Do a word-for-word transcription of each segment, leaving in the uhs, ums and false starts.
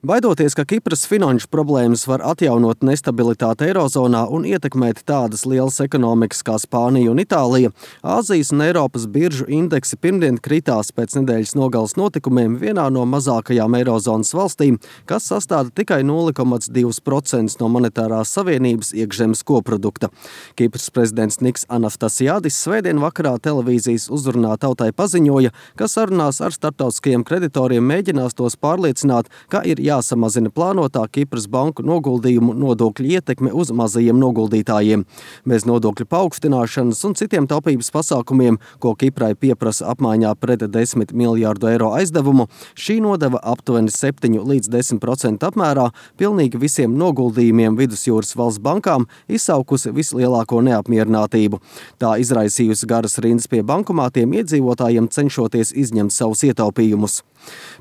Baidoties, ka Kipras finanšu problēmas var atjaunot nestabilitāti Eirozonā un ietekmēt tādas lielas ekonomikas kā Spānija un Itālija, Āzijas un Eiropas biržu indeksi pirmdien kritās pēc nedēļas nogales notikumiem vienā no mazākajām Eirozonas valstīm, kas sastāda tikai nulle komats divi procenti no monetārās savienības iekšzemes koprodukta. Kipras prezidents Niks Anastasiadis svētdien vakarā televīzijas uzrunā tautai paziņoja, ka sarunās ar starptautiskajiem kreditoriem mēģinās tos pārliecināt, ka ir jāsamazina plānotā Kipras banku noguldījumu nodokļu ietekme uz mazajiem noguldītājiem. Bez nodokļu paaugstināšanas un citiem taupības pasākumiem, ko Kiprai pieprasa apmaiņā pret desmit miljārdu eiro aizdevumu, šī nodeva aptuveni septiņu līdz desmit procentu apmērā pilnīgi visiem noguldījumiem Vidusjūras valsts bankām, izsaukusi vislielāko neapmierinātību. Tā izraisījusi garas rindas pie bankomātiem iedzīvotājiem, cenšoties izņemt savus ietaupījumus.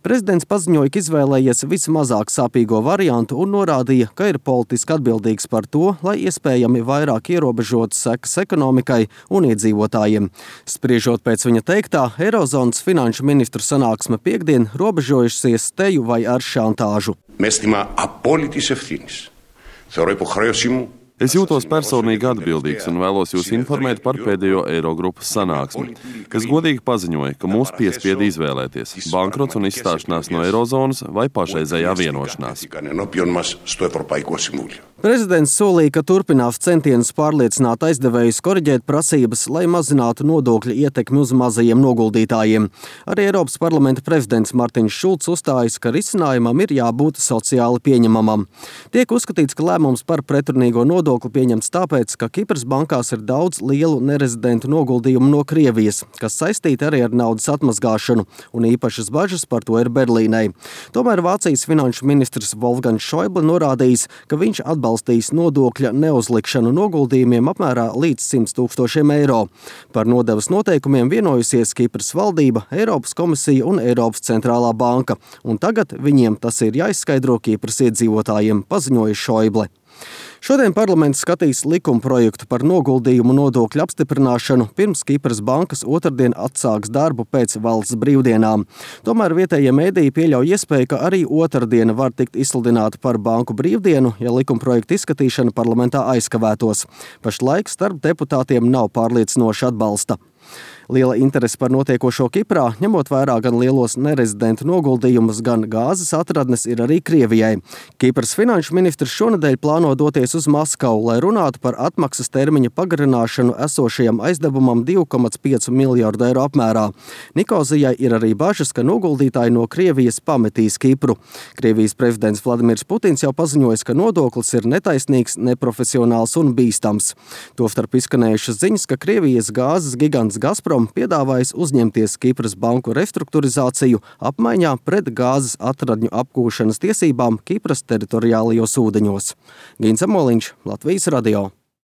Prezidents paziņoja, ka izvēlējies vismazāk sāpīgo variantu un norādīja, ka ir politiski atbildīgs par to, lai iespējami vairāk ierobežotu sekas ekonomikai un iedzīvotājiem. Spriežot pēc viņa teiktā, Eirozonas finanšu ministru sanāksme piekdien robežojusies teju vai ar šantāžu. Με αίσθημα απόλυτης ευθύνης. Θεωρώ υποχρέωσή μου. Es jūtos personīgi atbildīgs un vēlos jūs informēt par pēdējo Eirogrupas sanāksmi, kas godīgi paziņoja, ka mūs piespieda izvēlēties bankrots un izstāšanās no Eirozonas vai pašreizējā vienošanās. Prezidents solīja, ka turpinās centienus pārliecināt aizdevējus koriģēt prasības, lai mazinātu nodokļu ietekmi uz mazajiem noguldītājiem. Arī Eiropas parlamenta prezidents Martins Šulcs uzstājas, ka risinājumam ir jābūt sociāli pieņemamam. Tiek uzskatīts, ka lēmums par pretrunīgo nodokli pieņemts tāpēc, ka Kipras bankās ir daudz lielu nerezidentu noguldījumu no Krievijas, kas saistīti arī ar naudas atmazgāšanu, un īpašas bažas par to ir Berlīnei. Tomēr Vācijas finanšu ministrs Wolfgangs Schäuble norādījis, ka viņš atbalsta atbalstīs nodokļa neuzlikšanu noguldījumiem apmērā līdz simt tūkstošiem eiro. Par nodevas noteikumiem vienojusies Kipras valdība, Eiropas komisija un Eiropas centrālā banka, un tagad viņiem tas ir jāizskaidro Kipras iedzīvotājiem, paziņoja Schäuble. Šodien parlaments skatīs likumprojektu par noguldījumu nodokļu apstiprināšanu, pirms Kipras bankas otrdien atsāks darbu pēc valsts brīvdienām. Tomēr vietējie mēdīji pieļauj iespēju, ka arī otrdiena var tikt izsludināta par banku brīvdienu, ja likumprojekta izskatīšana parlamentā aizkavētos. Pašlaik starp deputātiem nav pārliecinoša atbalsta. Liela interese par notiekošo Kiprā, ņemot vērā gan lielos nerezidentu noguldījumus, gan gāzes atradnes, ir arī Krievijai. Kipras finanšu ministrs šonedēļ plāno doties uz Maskavu, lai runātu par atmaksas termiņa pagarināšanu esošajam aizdevumam divi komats pieci miljārdu eiro apmērā. Nikozijai ir arī bažas, ka noguldītāji no Krievijas pametīs Kipru. Krievijas prezidents Vladimirs Putins jau paziņojis, ka nodoklis ir netaisnīgs, neprofesionāls un bīstams. Tostarp izskanējušas ziņas, ka Krievijas gāzes gigants Gazprom piedāvājis uzņemties Kipras banku restruktūrizāciju apmaiņā pret gāzes atradņu apgūšanas tiesībām Kipras teritoriālajos ūdeņos. Gins Amoliņš, Latvijas radio.